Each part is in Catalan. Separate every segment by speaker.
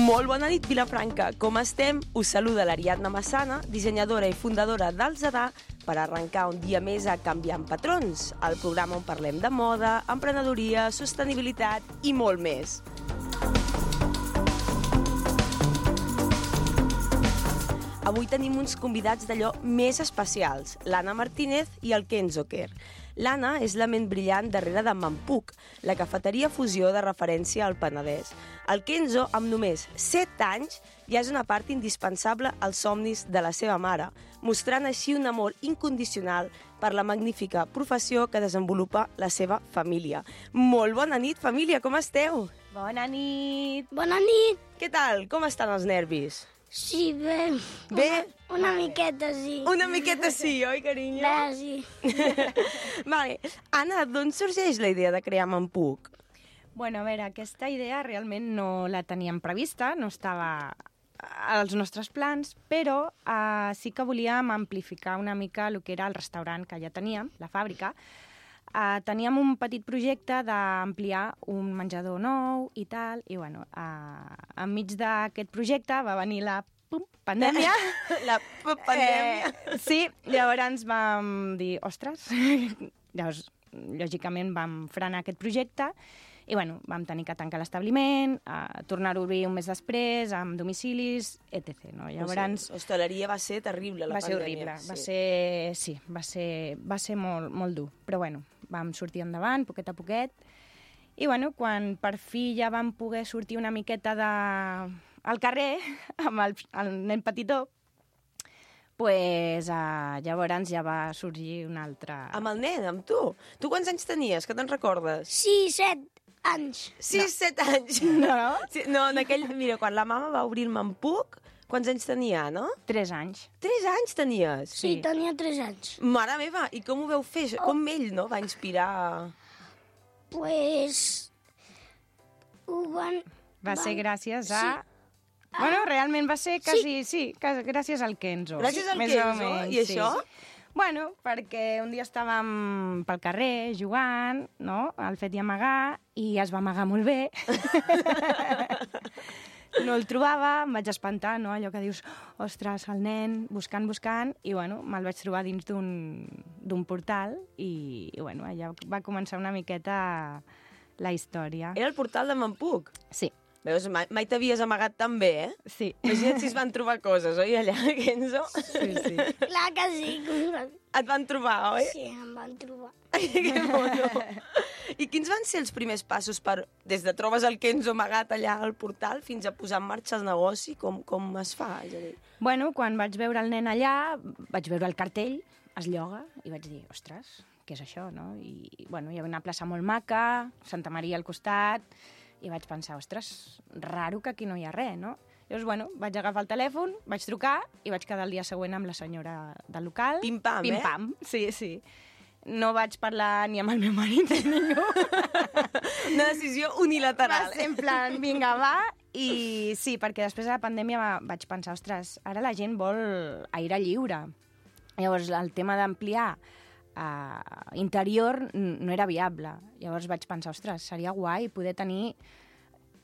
Speaker 1: Molt bona nit, Vilafranca. Com estem? Us saluda l'Ariadna Massana, dissenyadora i fundadora del Zadà, per arrencar un dia més a Canviant Patrons, el programa on parlem de moda, emprenedoria, sostenibilitat i molt més. Avui tenim uns convidats d'allò més especials, l'Anna Martínez i el Kenzo Kerr. L'Anna és la ment brillant darrere de Mampuc, la cafeteria fusió de referència al Penedès. El Kenzo, amb només 7 anys, ja és una part indispensable als somnis de la seva mare, mostrant així un amor incondicional per la magnífica professió que desenvolupa la seva família. Molt bona nit, família, com esteu?
Speaker 2: Bona nit!
Speaker 3: Bona nit!
Speaker 1: Què tal? Com estan els nervis?
Speaker 3: Sí, bé.
Speaker 1: Bé?
Speaker 3: Una miqueta, sí.
Speaker 1: Una miqueta sí, oi, carinyo?
Speaker 3: Bé, sí.
Speaker 1: Vale. Anna, d'on sorgeix la idea de crear Mampuc?
Speaker 2: Bueno, a veure, aquesta idea realment no la teníem prevista, no estava als nostres plans, però sí que volíem amplificar una mica el que era el restaurant que ja teníem, la fàbrica. Teníem un petit projecte d'ampliar un menjador nou i tal, i bueno, enmig d'aquest projecte va venir la pandèmia.
Speaker 1: La pandèmia.
Speaker 2: Sí, llavors vam dir, ostres, llavors, lògicament vam frenar aquest projecte i bueno, vam tenir que tancar l'establiment, tornar a obrir un mes després, amb domicilis, etc. No? Llavors,
Speaker 1: l'hostaleria va ser terrible, la pandèmia.
Speaker 2: Va ser molt dur, però bueno, vam sortir endavant, poquet a poquet, i bueno, quan per fi ja vam poder sortir una miqueta al carrer, amb el nen petitó, pues, llavors ja va sorgir un altre...
Speaker 1: Amb el nen, amb tu? Tu quants anys tenies, que te'n recordes?
Speaker 3: Sí, 7 anys.
Speaker 1: 6-7 anys.
Speaker 2: No?
Speaker 1: Sí, no, mira, quan la mama va obrir el Mampuc, quants anys tenia, no?
Speaker 2: 3 anys.
Speaker 1: 3 anys tenies?
Speaker 3: Sí, tenia 3 anys.
Speaker 1: Mare meva, i com ho veu fer? Com ell, no?, va inspirar...
Speaker 3: Pues...
Speaker 2: Va ser gràcies a...
Speaker 3: Sí.
Speaker 2: Bueno, realment va ser quasi... Sí, gràcies al Kenzo.
Speaker 1: Gràcies al
Speaker 2: Més
Speaker 1: Kenzo?
Speaker 2: o menys,
Speaker 1: I això?
Speaker 2: Bueno, perquè un dia estàvem pel carrer jugant, no?, al fet i amagar, i es va amagar molt bé. No el trobava, em vaig espantar, no?, allò que dius, ostres, el nen, buscant, i bueno, me'l vaig trobar dins d'un portal, i bueno, allà va començar una miqueta la història.
Speaker 1: Era el portal de Mampuc?
Speaker 2: Sí.
Speaker 1: Veus, mai t'havies amagat tan bé, eh?
Speaker 2: Sí.
Speaker 1: Imagina't si es van trobar coses, oi, allà, Kenzo?
Speaker 2: Sí.
Speaker 3: Clar que sí.
Speaker 1: Et van trobar, oi?
Speaker 3: Sí, em van trobar.
Speaker 1: Que mono. I quins van ser els primers passos des de trobes el Kenzo amagat allà al portal fins a posar en marxa el negoci? Com es fa? És a dir...
Speaker 2: Bueno, quan vaig veure el nen allà, vaig veure el cartell, es lloga, i vaig dir, ostres, què és això, no? I bueno, hi havia una plaça molt maca, Santa Maria al costat, i vaig pensar, ostres, raro que aquí no hi ha res, no? Llavors, bueno, vaig agafar el telèfon, vaig trucar i vaig quedar el dia següent amb la senyora del local.
Speaker 1: Pim-pam,
Speaker 2: Pim-pam, sí. No vaig parlar ni amb el meu marit ni ningú.
Speaker 1: Una decisió unilateral.
Speaker 2: Va ser en plan, vinga, va. I sí, perquè després de la pandèmia vaig pensar, ostres, ara la gent vol aire lliure. Llavors, el tema d'ampliar interior no era viable. Llavors vaig pensar, ostres, seria guai poder tenir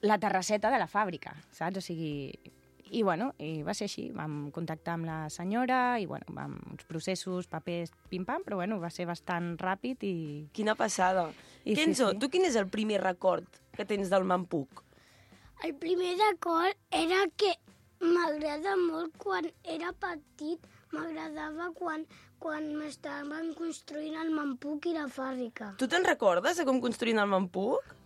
Speaker 2: la terrasseta de la fàbrica, saps? O sigui... I bueno, i va ser així. Vam contactar amb la senyora i bueno, amb uns processos, papers, pim-pam, però bueno, va ser bastant ràpid i...
Speaker 1: Quina passada.
Speaker 2: I
Speaker 1: Kenzo,
Speaker 2: sí.
Speaker 1: tu quin és el primer record que tens del Mampuc?
Speaker 3: El primer record era que m'agrada molt quan era petit, m'agradava quan m'estaven construint el Mampuc i la fàbrica.
Speaker 1: Tu te'n recordes de com construïen el Mampuc?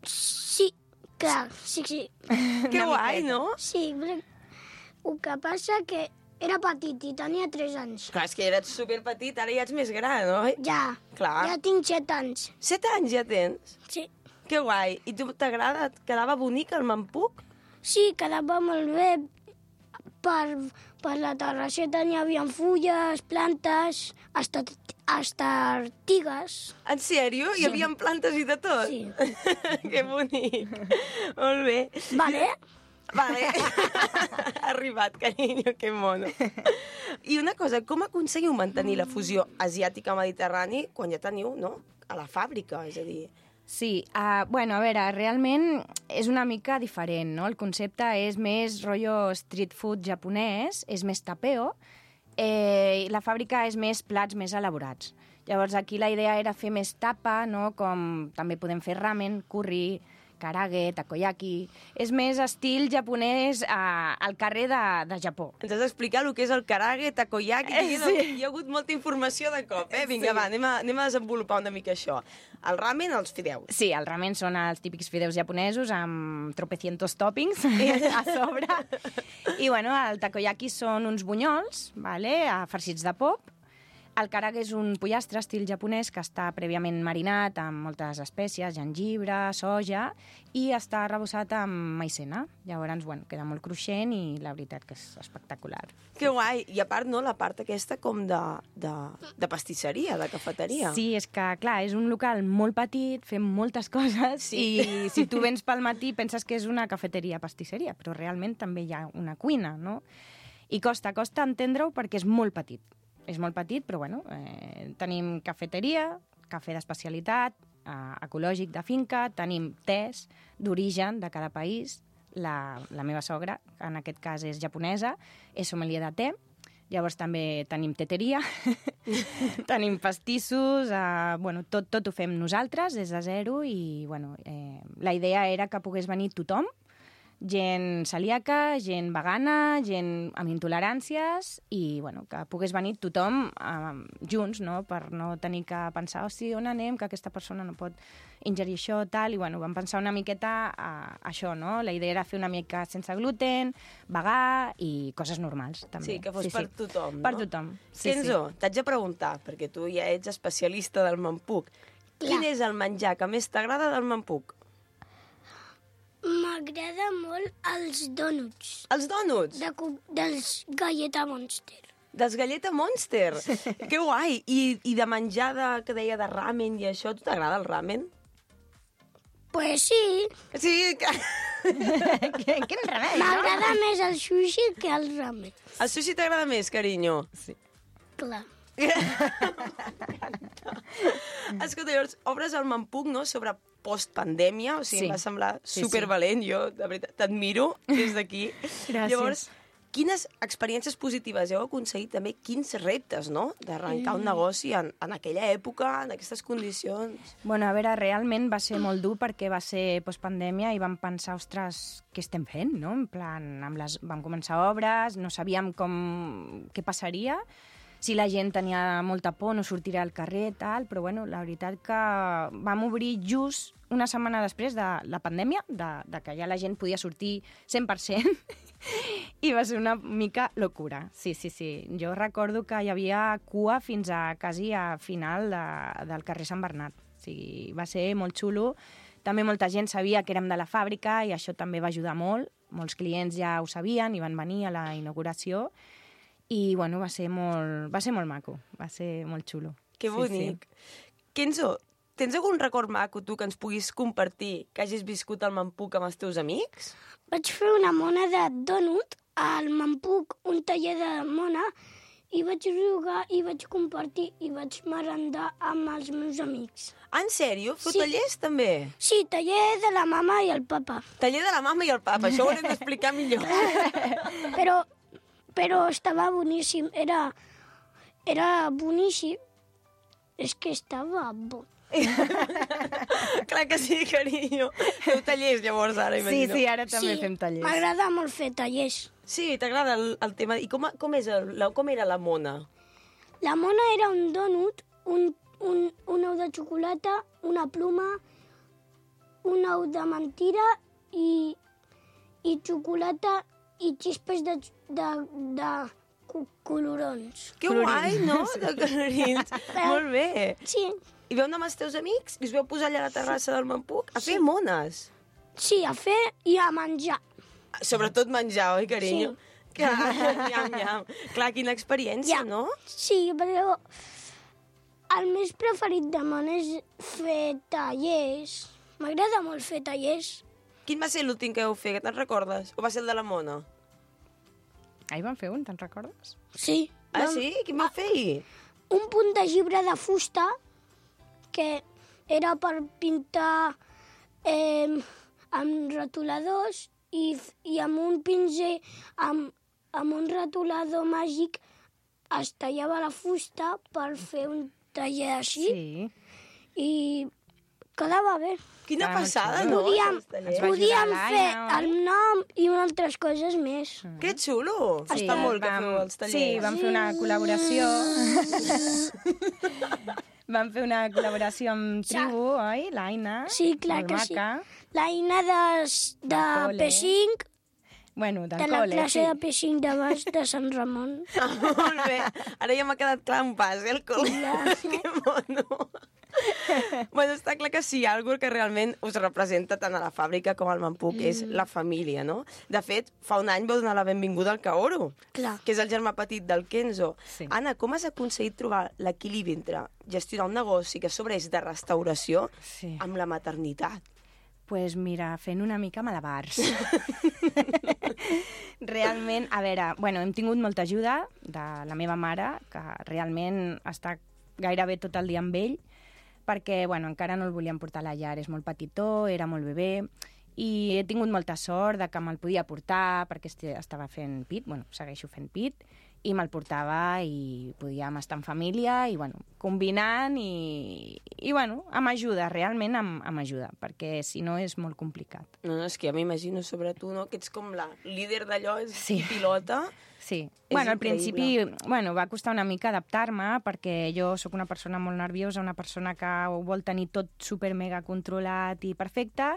Speaker 3: Sí, clar, sí.
Speaker 1: Que guai, no?
Speaker 3: Sí, el que passa que era petit i tenia 3 anys.
Speaker 1: Clar, és que eres superpetit, ara ja ets més gran, oi?
Speaker 3: Ja,
Speaker 1: Clar.
Speaker 3: ja tinc 7 anys.
Speaker 1: 7 anys ja tens?
Speaker 3: Sí.
Speaker 1: Que guai. I tu t'agrada? Et quedava bonic el Mampuc?
Speaker 3: Sí, quedava molt bé. Per la terrasseta n'hi havia fulles, plantes, hasta artigues.
Speaker 1: En sèrio? Hi havia plantes i de tot?
Speaker 3: Sí.
Speaker 1: Que bonic. Molt bé.
Speaker 3: Vale?
Speaker 1: Vale. Ha arribat, carinyo, que mono. I una cosa, com aconseguiu mantenir la fusió asiàtica-mediterrani quan ja teniu, no?, a la fàbrica? És a dir,
Speaker 2: Sí, bueno, a veure, realment és una mica diferent, no? El concepte és més rotllo street food japonès, és més tapeo, i la fàbrica és més plats més elaborats. Llavors, aquí la idea era fer més tapa, no? Com també podem fer ramen, curry, karage, takoyaki... És més estil japonès al carrer de Japó.
Speaker 1: Ens has d'explicar el que és el karage, takoyaki...
Speaker 2: Sí.
Speaker 1: Hi ha hagut molta informació de cop, eh? Vinga, va, anem a desenvolupar una mica això. El ramen, els fideus.
Speaker 2: Sí, el ramen són els típics fideus japonesos amb tropecientos toppings a sobre. I, bueno, el takoyaki són uns bunyols, vale? Farcits de pop. El karage és un pollastre estil japonès que està prèviament marinat amb moltes espècies, gengibre, soja, i està arrebossat amb maicena. Llavors, bueno, queda molt cruixent i la veritat que és espectacular.
Speaker 1: Que guai! I a part, no?, la part aquesta com de pastisseria, de cafeteria.
Speaker 2: Sí, és que, clar, és un local molt petit, fem moltes coses,
Speaker 1: Sí.
Speaker 2: i si tu vens pel matí penses que és una cafeteria pastisseria, però realment també hi ha una cuina, no? I costa entendre-ho perquè és molt petit. És molt petit, però bueno, tenim cafeteria, cafè d'especialitat, ecològic de finca, tenim tés d'origen de cada país. La meva sogra, que en aquest cas és japonesa, és sommelier de te. Llavors també tenim teteria, tenim pastissos, bueno, tot ho fem nosaltres des de zero i bueno, la idea era que pogués venir tothom, gent celíaca, gent vegana, gent amb intoleràncies i bueno, que pogués venir tothom junts, no? Per no tenir que pensar on anem, que aquesta persona no pot ingerir això, tal, i bueno, vam pensar una miqueta a això, no? La idea era fer una mica sense gluten, vegà i coses normals, també.
Speaker 1: Sí, que fos per tothom, no?
Speaker 2: Per tothom, sí.
Speaker 1: Kenzo, t'haig de preguntar, perquè tu ja ets especialista del mampuc. Quin és el menjar que més t'agrada del mampuc?
Speaker 3: M'agrada molt els dònuts.
Speaker 1: Els dònuts?
Speaker 3: Dels Galleta Monster.
Speaker 1: Dels Galleta Monster? Que guai! I de menjar que deia de ramen i això, tu t'agrada el ramen?
Speaker 3: Pues sí.
Speaker 1: Sí, que...
Speaker 2: Quin remei, no?
Speaker 3: M'agrada més el sushi que el ramen.
Speaker 1: El sushi t'agrada més, carinyo?
Speaker 2: Sí.
Speaker 3: Clar.
Speaker 1: Escolta, llavors, obres el mampuc, no?, sobre postpandèmia, o sigui,
Speaker 2: Sí.
Speaker 1: em va semblar
Speaker 2: Sí,
Speaker 1: supervalent, jo, de veritat, t'admiro des d'aquí.
Speaker 2: Gràcies.
Speaker 1: Llavors, quines experiències positives heu aconseguit també, quins reptes, no?, d'arrencar un negoci en aquella època, en aquestes condicions.
Speaker 2: Bueno, a veure, realment va ser molt dur perquè va ser postpandèmia i vam pensar, ostres, què estem fent, no? En plan, vam començar obres, no sabíem què passaria, si la gent tenia molta por, no sortirà al carrer, tal, però bueno, la veritat que vam obrir just una setmana després de la pandèmia, de que ja la gent podia sortir 100%, i va ser una mica locura. Sí. Jo recordo que hi havia cua fins a quasi a final del carrer Sant Bernat. O sigui, va ser molt xulo. També molta gent sabia que érem de la fàbrica i això també va ajudar molt. Molts clients ja ho sabien i van venir a la inauguració. I, bueno, va ser molt maco, va ser molt xulo.
Speaker 1: Que bonic. Sí. Kenzo, tens algun record maco, tu, que ens puguis compartir, que hagis viscut al mampuc amb els teus amics?
Speaker 3: Vaig fer una mona de dònut al mampuc, un taller de mona, i vaig jugar i vaig compartir i vaig merendar amb els meus amics.
Speaker 1: Ah, en sèrio? Feu
Speaker 3: Sí.
Speaker 1: tallers, també?
Speaker 3: Sí, taller de la mama i el papa.
Speaker 1: Taller de la mama i el papa, això ho haurem d'explicar millor.
Speaker 3: Però estava boníssim, era boníssim. És que estava bo.
Speaker 1: Clar que sí, carinyo. Feu tallers, llavors, ara, imagino.
Speaker 2: Sí, ara també fem tallers.
Speaker 3: M'agrada molt fer tallers.
Speaker 1: Sí, t'agrada el tema. I com era la mona?
Speaker 3: La mona era un dònut, un ou de xocolata, una pluma, un ou de mentira i xocolata i xispes de colorons.
Speaker 1: Que guai, no? De colorins. Molt bé.
Speaker 3: Sí,
Speaker 1: I veu anar amb els teus amics? I us veu posar allà a la terrassa del mampuc? A fer mones?
Speaker 3: sí, a fer i a menjar.
Speaker 1: Sobretot menjar, oi, carinyo?
Speaker 3: Sí.
Speaker 1: Clar, nyam. Clar, quina experiència, no?
Speaker 3: Sí, però el més preferit de món és fer tallers. M'agrada molt fer tallers.
Speaker 1: Quin va ser l'últim que heu fet, que te'n recordes? O va ser el de la mona?
Speaker 2: Ahir vam fer un, te'n recordes?
Speaker 3: Sí.
Speaker 1: Ah, sí? Quin vau fer?
Speaker 3: Un punt de llibre de fusta que era per pintar amb retoladors i amb un pinzell, amb un retolador màgic es tallava la fusta per fer un taller així.
Speaker 2: Sí.
Speaker 3: I quedava bé.
Speaker 1: Quina
Speaker 2: Clar,
Speaker 1: passada,
Speaker 2: xulo.
Speaker 1: no?
Speaker 3: Podíem,
Speaker 2: va ajudar
Speaker 3: podíem
Speaker 2: l'Aina,
Speaker 3: fer
Speaker 2: oi?
Speaker 3: el nom i altres coses més.
Speaker 1: Que xulo! Està molt que feu els tallers.
Speaker 2: Sí, vam fer una col·laboració. Vam fer una col·laboració amb Tribu, oi? L'Aina.
Speaker 3: Sí, clar
Speaker 2: molt
Speaker 3: que sí.
Speaker 2: maca.
Speaker 3: L'Aina de
Speaker 2: col·le.
Speaker 3: P5,
Speaker 2: Bueno, del
Speaker 3: de la
Speaker 2: col·le,
Speaker 3: classe
Speaker 2: sí.
Speaker 3: de P5 de baix de Sant Ramon.
Speaker 1: Molt bé. Ara ja m'ha quedat clar un pas, el col·le. Que mono. Bueno, està clar que si hi ha algú que realment us representa tant a la fàbrica com al Mampuc és la família, no? De fet, fa un any vau donar la benvinguda al Kaoru,
Speaker 3: Clar.
Speaker 1: que és el germà petit del Kenzo.
Speaker 2: Sí.
Speaker 1: Anna, com has aconseguit trobar l'equilibri entre gestionar un negoci que a sobre és de restauració
Speaker 2: Sí.
Speaker 1: amb la maternitat?
Speaker 2: Pues mira, fent una mica malabars. Realment, a veure, bueno, hem tingut molta ajuda de la meva mare, que realment està gairebé tot el dia amb ell, perquè, bueno, encara no el volíem portar a la llar, és molt petitó, era molt bebè, i he tingut molta sort de que me'l podia portar, perquè estava fent pit, bueno, segueixo fent pit, i me'l portava i podíem estar en família i, bueno, combinant i bueno, amb ajuda, realment amb ajuda, perquè si no és molt complicat.
Speaker 1: No, és que ja m'imagino sobre tu, no?, que ets com la líder d'allò,
Speaker 2: Sí.
Speaker 1: i pilota.
Speaker 2: Sí.
Speaker 1: És
Speaker 2: Bueno, al
Speaker 1: increïble.
Speaker 2: principi va costar una mica adaptar-me perquè jo sóc una persona molt nerviosa, una persona que ho vol tenir tot super mega controlat i perfecte,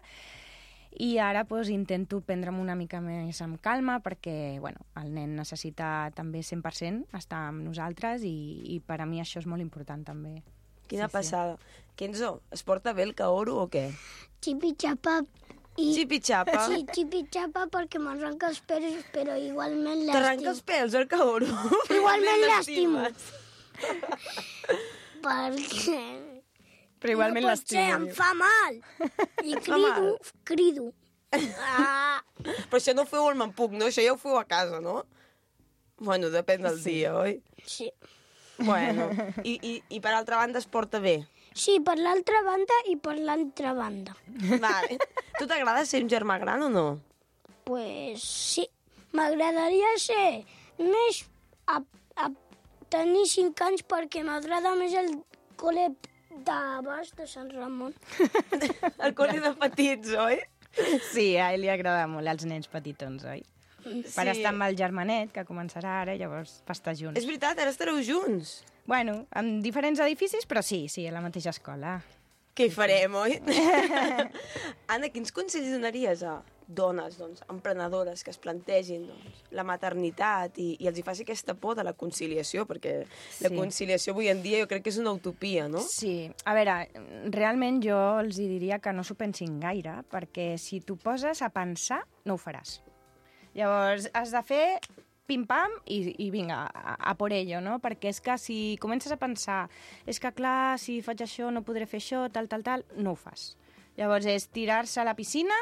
Speaker 2: i ara intento prendre'm una mica més amb calma perquè el nen necessita també 100% estar amb nosaltres i per a mi això és molt important també.
Speaker 1: Quina
Speaker 2: Sí, sí.
Speaker 1: passada. Kenzo, es porta bé el Kaoru o què?
Speaker 3: Xipi-xapa. I...
Speaker 1: Xipi-xapa?
Speaker 3: Sí, xipi-xapa perquè m'arranca els peus, però igualment
Speaker 1: T'arranca els pèls, el Kaoru?
Speaker 3: Igualment
Speaker 1: l'estimo.
Speaker 3: perquè...
Speaker 2: Però igualment
Speaker 3: no pot ser, em fa mal. I crido. Ah,
Speaker 1: Però això no ho feu al Mampuc, no? Això ja ho feu a casa, no? Bueno, depèn del dia, oi?
Speaker 3: sí.
Speaker 1: Bueno, i per altra banda es porta bé.
Speaker 3: Sí, per l'altra banda i per l'altra banda.
Speaker 1: Vale. Tu t'agrada ser un germà gran o no?
Speaker 3: Pues sí, m'agradaria ser més a tenir 5 anys perquè m'agrada més el col·le de baix de Sant Ramon.
Speaker 1: El col·le de petits, oi?
Speaker 2: Sí, a ell li agrada molt els nens petitons, oi? Per estar amb el germanet, que començarà ara, llavors per estar junts.
Speaker 1: És veritat, ara estareu junts.
Speaker 2: Bueno, en diferents edificis, però sí, a la mateixa escola.
Speaker 1: Què hi farem, oi? Anna, quins consells donaries a dones, doncs, emprenedores que es plantegin la maternitat i els hi faci aquesta por de la conciliació, perquè la conciliació avui en dia jo crec que és una utopia, no?
Speaker 2: Sí, a veure, realment jo els hi diria que no s'ho pensin gaire, perquè si t'ho poses a pensar, no ho faràs. Llavors, has de fer pim-pam i vinga, a por ello, no? Perquè és que si comences a pensar és que, clar, si faig això no podré fer això, tal, no ho fas. Llavors és tirar-se a la piscina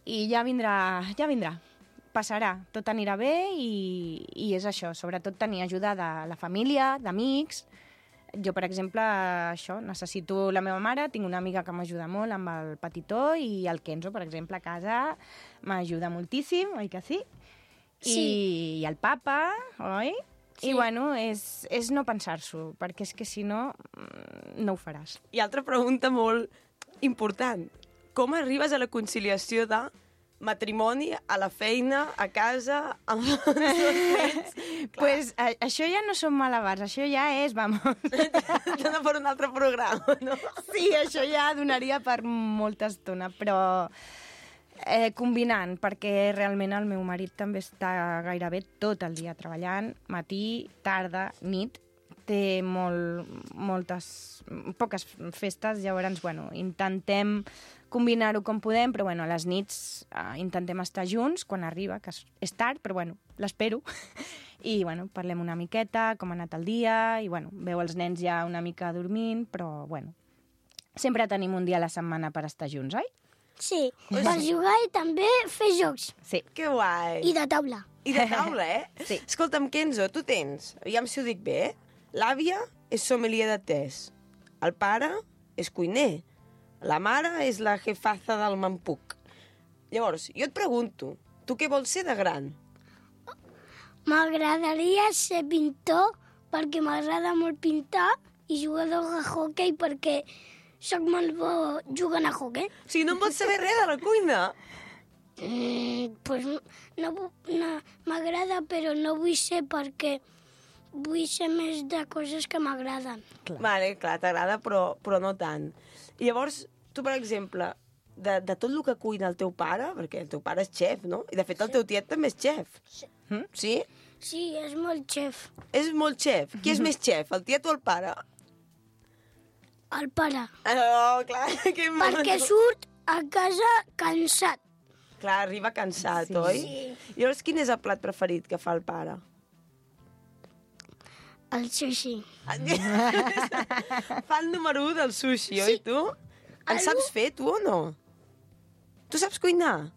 Speaker 2: i ja vindrà. Passarà, tot anirà bé i és això, sobretot tenir ajuda de la família, d'amics. Jo, per exemple, això, necessito la meva mare, tinc una amiga que m'ajuda molt amb el petitó i el Kenzo, per exemple, a casa m'ajuda moltíssim, oi que sí?
Speaker 3: Sí.
Speaker 2: I el papa, oi?
Speaker 3: Sí.
Speaker 2: I, bueno, és no pensar-s'ho, perquè és que si no, no ho faràs.
Speaker 1: I altra pregunta molt important. Com arribes a la conciliació de matrimoni, a la feina, a casa, amb els dos nens?
Speaker 2: Pues això ja no són malabars, això ja és, vamos...
Speaker 1: Dona per un altre programa, no?
Speaker 2: Sí, això ja donaria per molta estona, però combinant, perquè realment el meu marit també està gairebé tot el dia treballant, matí, tarda, nit, té poques festes, llavors, intentem combinar-ho com podem, però, a les nits intentem estar junts quan arriba, que és tard, però, l'espero. I, parlem una miqueta, com ha anat el dia, i, veu els nens ja una mica dormint, però, sempre tenim un dia a la setmana per estar junts, oi?
Speaker 3: Sí, per jugar i també fer jocs.
Speaker 2: Sí.
Speaker 1: Que guai.
Speaker 3: I de taula.
Speaker 1: I de taula,
Speaker 2: Sí.
Speaker 1: Escolta'm, Kenzo, tu tens, aviam si ho dic bé, l'àvia és sommelier de tés, el pare és cuiner. La mare és la jefaza del Mampuc. Llavors, jo et pregunto, tu què vols ser de gran?
Speaker 3: M'agradaria ser pintor perquè m'agrada molt pintar i jugador de hoquei perquè sóc molt bo jugant a hoquei.
Speaker 1: O sigui, no em vols saber res de la cuina?
Speaker 3: Pues no, m'agrada, però no vull ser perquè vull ser més de coses que m'agraden.
Speaker 1: Vale, clar, t'agrada, però no tant. I llavors, tu, per exemple, de tot el que cuina el teu pare, perquè el teu pare és xef, no? I, de fet, el teu tiet també és xef. Sí?
Speaker 3: Sí, és molt xef.
Speaker 1: És molt xef. Qui és més xef, el tiet o el pare?
Speaker 3: El pare.
Speaker 1: Oh, clar, que
Speaker 3: Perquè surt a casa cansat.
Speaker 1: Clar, arriba cansat,
Speaker 2: Sí.
Speaker 1: oi?
Speaker 3: Sí.
Speaker 1: I llavors, quin és el plat preferit que fa el pare?
Speaker 3: El sushi.
Speaker 1: Fa el número 1 del sushi, oi, tu? En saps fer, tu, o no? Tu saps cuinar?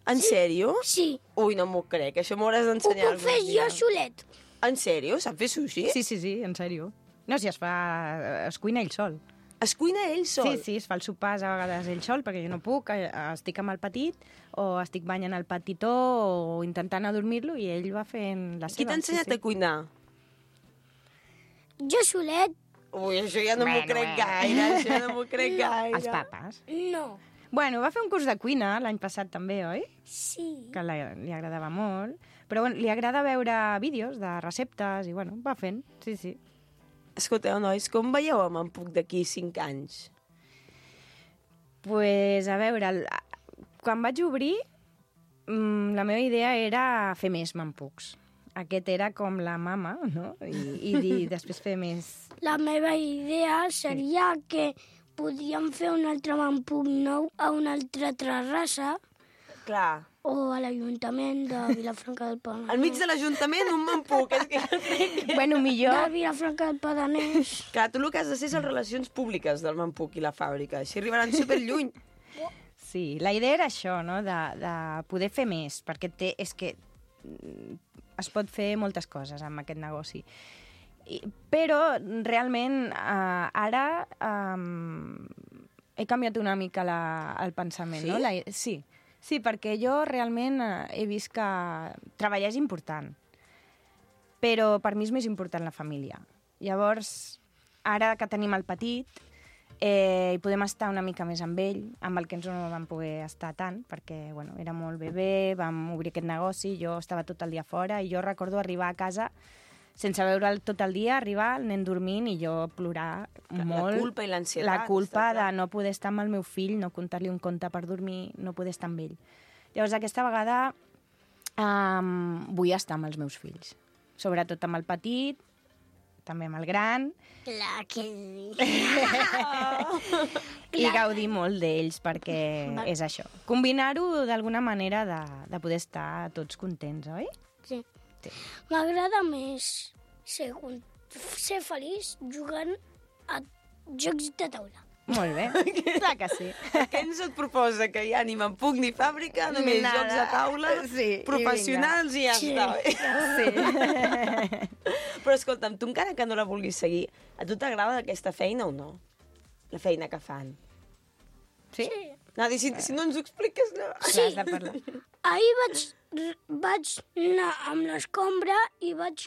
Speaker 1: En sèrio?
Speaker 3: Sí.
Speaker 1: Ui, no m'ho crec, això m'ho hauràs
Speaker 3: Ho
Speaker 1: d'ensenyar
Speaker 3: puc fer
Speaker 1: algun dia.
Speaker 3: jo solet.
Speaker 1: En sèrio? Sap fer sushi?
Speaker 2: Sí, en sèrio. No, si es cuina ell sol.
Speaker 1: Es cuina ell sol?
Speaker 2: Sí, es fa els sopars a vegades ell sol, perquè jo no puc, estic amb el petit, o estic banyant el petitó, o intentant adormir-lo, i ell va fent la seva.
Speaker 1: Qui t'ha ensenyat a cuinar?
Speaker 3: Jo solet,
Speaker 1: Ui, això ja no m'ho crec gaire, això no m'ho crec gaire.
Speaker 2: Els papes.
Speaker 3: no.
Speaker 2: Bueno, va fer un curs de cuina l'any passat també, oi?
Speaker 3: Sí.
Speaker 2: Que li agradava molt. Però bueno, li agrada veure vídeos de receptes i bueno, va fent, sí.
Speaker 1: Escolteu, nois, com veieu el Mampuc d'aquí 5 anys?
Speaker 2: Pues, a veure, quan vaig obrir, la meva idea era fer més Mampucs. Aquest era com la mama, no? I després fer més.
Speaker 3: La meva idea seria que podíem fer un altre Mampuc nou a una altra terrassa
Speaker 1: Clar.
Speaker 3: o a l'Ajuntament de Vilafranca del Penedès.
Speaker 1: Al mig de l'Ajuntament, un Mampuc. És que jo crec que...
Speaker 2: Bueno, millor...
Speaker 3: De Vilafranca del Penedès.
Speaker 1: Clar, tu el que has de ser és les relacions públiques del Mampuc i la fàbrica. Així arribaran superlluny.
Speaker 2: Sí, la idea era això, no? De poder fer més, perquè és que es pot fer moltes coses amb aquest negoci. Però realment ara he canviat una mica el pensament.
Speaker 1: Sí?
Speaker 2: No? Sí, perquè jo realment he vist que treballar és important, però per mi és més important la família. Llavors, ara que tenim el petit, i podem estar una mica més amb ell, amb el que ens no vam poder estar tant, perquè bueno, era molt bebè, vam obrir aquest negoci, jo estava tot el dia fora, i jo recordo arribar a casa sense veure'l tot el dia, arribar, el nen dormint, i jo plorar molt.
Speaker 1: La culpa i l'ansietat.
Speaker 2: La culpa
Speaker 1: està
Speaker 2: de
Speaker 1: clar.
Speaker 2: no poder estar amb el meu fill, no contar-li un conte per dormir, no poder estar amb ell. Llavors, aquesta vegada vull estar amb els meus fills. Sobretot amb el petit, també amb el gran,
Speaker 3: Clar que sí.
Speaker 2: i gaudir molt d'ells, perquè és això. Combinar-ho d'alguna manera de poder estar tots contents, oi?
Speaker 3: Sí.
Speaker 2: Sí.
Speaker 3: M'agrada més ser feliç jugant a jocs de taula.
Speaker 2: Molt bé, clar que sí.
Speaker 1: Què ens et proposa? Que hi ha ni Mampuc ni fàbrica, només
Speaker 2: Nada.
Speaker 1: jocs de taula,
Speaker 2: Sí, i
Speaker 1: professionals i ja
Speaker 3: Sí.
Speaker 1: està.
Speaker 2: Sí.
Speaker 1: Però escolta'm, tu encara que no la vulguis seguir, a tu t'agrada aquesta feina o no? La feina que fan.
Speaker 2: Sí?
Speaker 1: Nadi, si no ens ho expliques, no.
Speaker 2: Clar, has de parlar.
Speaker 3: Ahir vaig anar amb l'escombra i vaig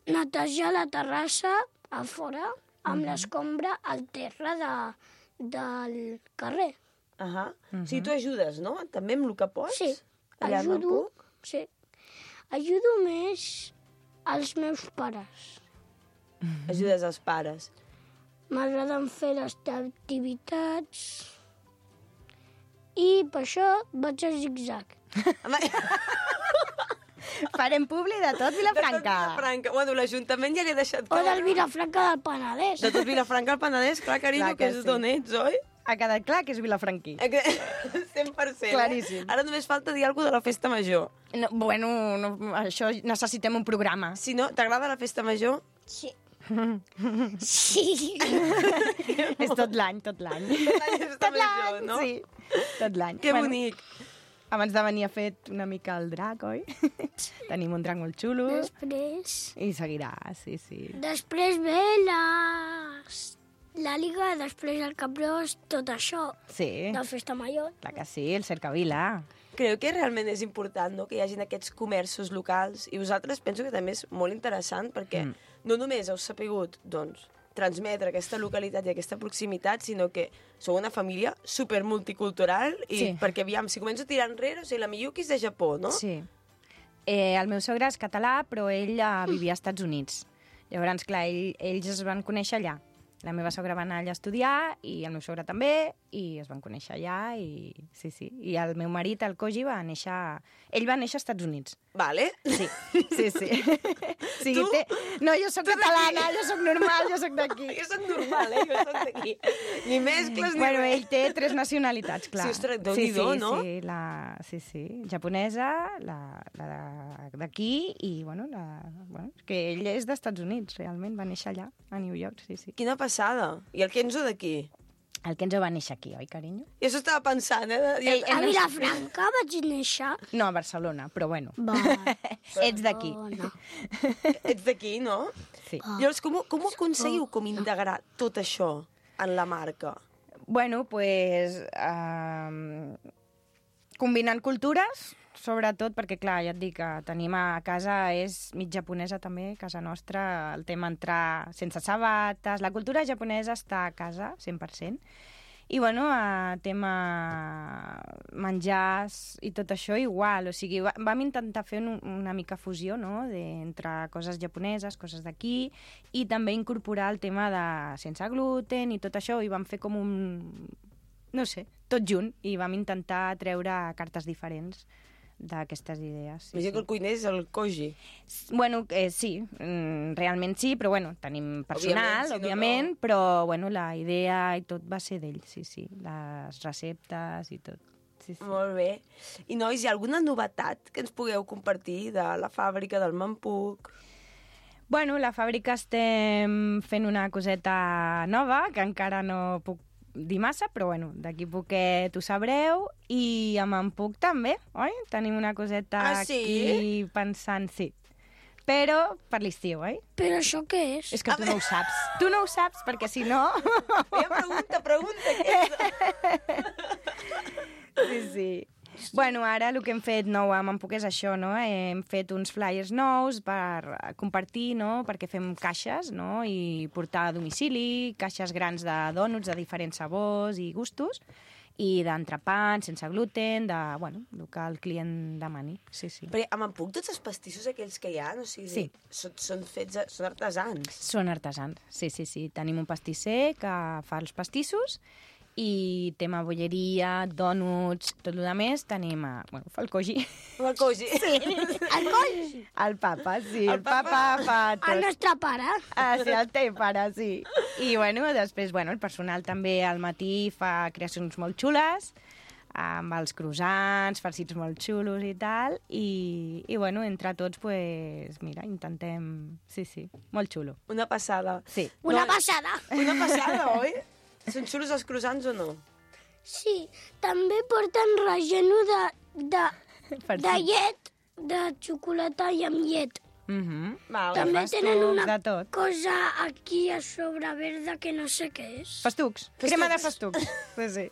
Speaker 3: netejar la terrassa a fora amb l'escombra al terra del carrer.
Speaker 1: O sigui, tu ajudes, no? També amb el que pots?
Speaker 3: Sí,
Speaker 1: Allà al
Speaker 3: ajudo,
Speaker 1: Mampuc?
Speaker 3: sí. Ajudo més als meus pares.
Speaker 1: Ajudes als pares.
Speaker 3: M'agraden fer les activitats i per això vaig a zig-zag.
Speaker 1: Home,
Speaker 2: Farem publi de tot Vilafranca.
Speaker 1: Vilafranca. Bueno, l'Ajuntament ja l'he deixat
Speaker 3: O
Speaker 1: clar.
Speaker 3: del Vilafranca del Penedès.
Speaker 1: De tot Vilafranca al Penedès, clar, carinyo,
Speaker 2: Clar que
Speaker 1: que és
Speaker 2: sí.
Speaker 1: d'on ets, oi?
Speaker 2: Ha quedat clar que és vilafranquí.
Speaker 1: 100%.
Speaker 2: Claríssim.
Speaker 1: Ara només falta dir alguna cosa de la festa major.
Speaker 2: No, bueno, això necessitem un programa.
Speaker 1: Si no, t'agrada la festa major?
Speaker 3: Sí. Sí.
Speaker 2: És tot l'any, tot l'any.
Speaker 1: La festa major, no?
Speaker 2: Sí, tot l'any.
Speaker 1: Que bonic.
Speaker 2: Abans de venir ha fet una mica el drac, oi? Tenim un drac molt xulo.
Speaker 3: Després...
Speaker 2: I seguirà, sí, sí.
Speaker 3: Després ve la Liga, després el Capgròs, tot això.
Speaker 2: Sí,
Speaker 3: De Festa Major.
Speaker 2: clar que sí, el Cercavila.
Speaker 1: Creu que realment és important, no?, que hi hagin aquests comerços locals, i vosaltres penso que també és molt interessant perquè no només heu sapigut, doncs, transmetre aquesta localitat i aquesta proximitat, sinó que sou una família super multicultural i
Speaker 2: Sí.
Speaker 1: perquè, aviam, si començo a tirar enrere, o sigui, la Miyuki és de Japó, no?
Speaker 2: Sí. El meu sogre és català, però ell vivia als Estats Units. Llavors, clar, ells es van conèixer allà. La meva sogra va anar allà a estudiar i el meu sogre també, i es van conèixer allà, i sí, sí. I el meu marit, el Koji, va néixer... Ell va néixer als Estats Units.
Speaker 1: Vale?
Speaker 2: Sí, sí, sí. O sigui,
Speaker 1: Tu?
Speaker 2: No, jo sóc catalana, jo sóc normal, jo sóc d'aquí.
Speaker 1: Jo soc normal, jo soc d'aquí. Ni mescles, ni
Speaker 2: Bueno,
Speaker 1: res.
Speaker 2: ell té 3 nacionalitats, clar.
Speaker 1: Sí, ostres, Déu-n'hi-do,
Speaker 2: sí,
Speaker 1: no?
Speaker 2: Sí, japonesa, la d'aquí i, bueno, que ell és dels Estats Units, realment, va néixer allà, a New York, sí, sí.
Speaker 1: Quina passada. I el Kenzo d'aquí?
Speaker 2: El Kenzo va néixer aquí, oi, carinyo?
Speaker 1: I això estava pensant,
Speaker 3: A Vilafranca vaig néixer.
Speaker 2: No, a Barcelona, però bueno.
Speaker 3: Va.
Speaker 2: Ets d'aquí.
Speaker 3: No.
Speaker 1: Ets d'aquí, no?
Speaker 2: Sí.
Speaker 1: Llavors, com aconseguiu com integrar tot això en la marca?
Speaker 2: Bueno, pues, combinant cultures, sobretot perquè, clar, ja et dic que tenim a casa, és mig japonesa també, casa nostra, el tema entrar sense sabates, la cultura japonesa està a casa, 100%, i, bueno, tema menjars i tot això igual, o sigui, vam intentar fer una mica fusió, no?, entre coses japoneses, coses d'aquí, i també incorporar el tema de sense gluten i tot això, i vam fer com no sé, tot junt, i vam intentar treure cartes diferents d'aquestes idees. Sí,
Speaker 1: M'he que el cuiner és el Koji.
Speaker 2: Bueno, sí, realment sí, però bueno, tenim personal, òbviament, però bueno, la idea i tot va ser d'ell, sí, sí, les receptes i tot. Sí, sí.
Speaker 1: Molt bé. I, nois, hi ha alguna novetat que ens pugueu compartir de la fàbrica del Mampuc?
Speaker 2: Bueno, la fàbrica estem fent una coseta nova, que encara no puc dir massa, però bueno, d'aquí poquet ho sabreu, i amb en Puc també, oi? Tenim una coseta aquí pensant, sí. Però per l'estiu, oi?
Speaker 3: Però això què és?
Speaker 2: És que tu no ho saps. Tu no ho saps, perquè si no...
Speaker 1: Pregunta, què és?
Speaker 2: Sí, sí. Bueno, ara el que hem fet nou amb en Puc és això, no? Hem fet uns flyers nous per compartir, no?, perquè fem caixes, no?, i portar a domicili, caixes grans de dònuts de diferents sabors i gustos, i d'entrepans, sense gluten, bueno, el que el client demani, sí, sí.
Speaker 1: Perquè amb en Puc tots els pastissos aquells que hi ha, o sigui,
Speaker 2: Sí.
Speaker 1: són artesans.
Speaker 2: Són artesans, sí, sí, sí. Tenim un pastisser que fa els pastissos, i tema bolleria, dònuts, tot el més, tenim bueno, fa el Koji.
Speaker 1: El Koji.
Speaker 3: Sí, el Koji.
Speaker 2: El papa, sí, el papa fa tot.
Speaker 3: El nostre pare.
Speaker 2: Sí, el teu pare, sí. I, bueno, després, bueno, el personal també al matí fa creacions molt xules, amb els croissants, farcits molt xulos i tal, i bueno, entre tots, pues, mira, intentem... Sí, sí, molt xulo.
Speaker 1: Una passada.
Speaker 2: Sí.
Speaker 3: Una passada.
Speaker 1: Una passada, oi? Són xulos els croissants o no?
Speaker 3: Sí, també porten relleno de
Speaker 2: Farcits.
Speaker 3: llet, de xocolata i amb llet.
Speaker 1: Val.
Speaker 3: També
Speaker 2: festucs,
Speaker 3: tenen una
Speaker 2: de tot.
Speaker 3: cosa aquí a sobre verda que no sé què és.
Speaker 2: Festucs. Crema de festucs. Sí, sí.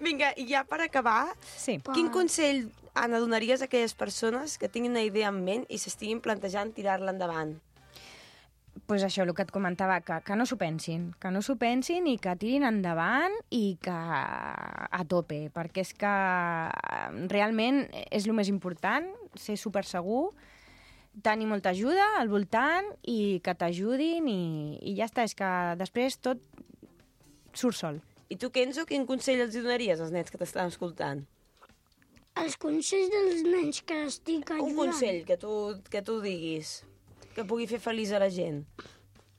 Speaker 1: Vinga, i ja per acabar,
Speaker 2: Sí.
Speaker 1: quin consell, Anna, donaries a aquelles persones que tinguin una idea en ment i s'estiguin plantejant tirar-la endavant?
Speaker 2: Pues això, el que et comentava, que no s'ho pensin, i que tirin endavant i que a tope, perquè és que realment és el més important, ser supersegur, tenir molta ajuda al voltant i que t'ajudin i ja està, és que després tot surt sol.
Speaker 1: I tu, Kenzo, quin consell els donaries als nens que t'estan escoltant?
Speaker 3: Els consells dels nens que estic ajudant.
Speaker 1: Un consell que tu diguis, que pugui fer feliç a la gent.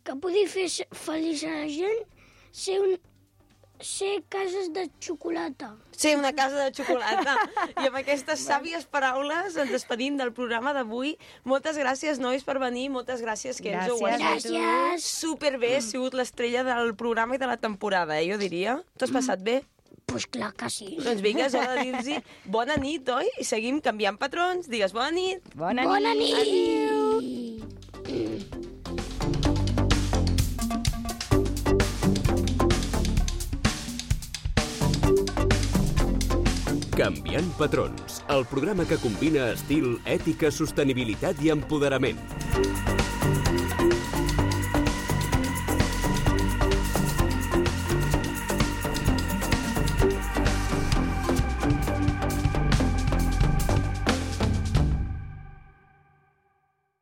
Speaker 3: Que pugui fer feliç a la gent, ser cases de xocolata.
Speaker 1: Ser una casa de xocolata. I amb aquestes sàvies paraules ens despedim del programa d'avui. Moltes gràcies, nois, per venir. Moltes gràcies, Kenzo.
Speaker 2: Gràcies.
Speaker 3: Gràcies.
Speaker 1: Superbé, has sigut l'estrella del programa i de la temporada, jo diria. T'ho has passat bé?
Speaker 3: Pues clar que sí.
Speaker 1: Doncs vinga, és hora de dir-los bona nit, oi? I seguim canviant patrons. Digues bona nit.
Speaker 2: Bona nit.
Speaker 3: Bona nit!
Speaker 4: Canviant patrons, el programa que combina estil, ètica, sostenibilitat i empoderament.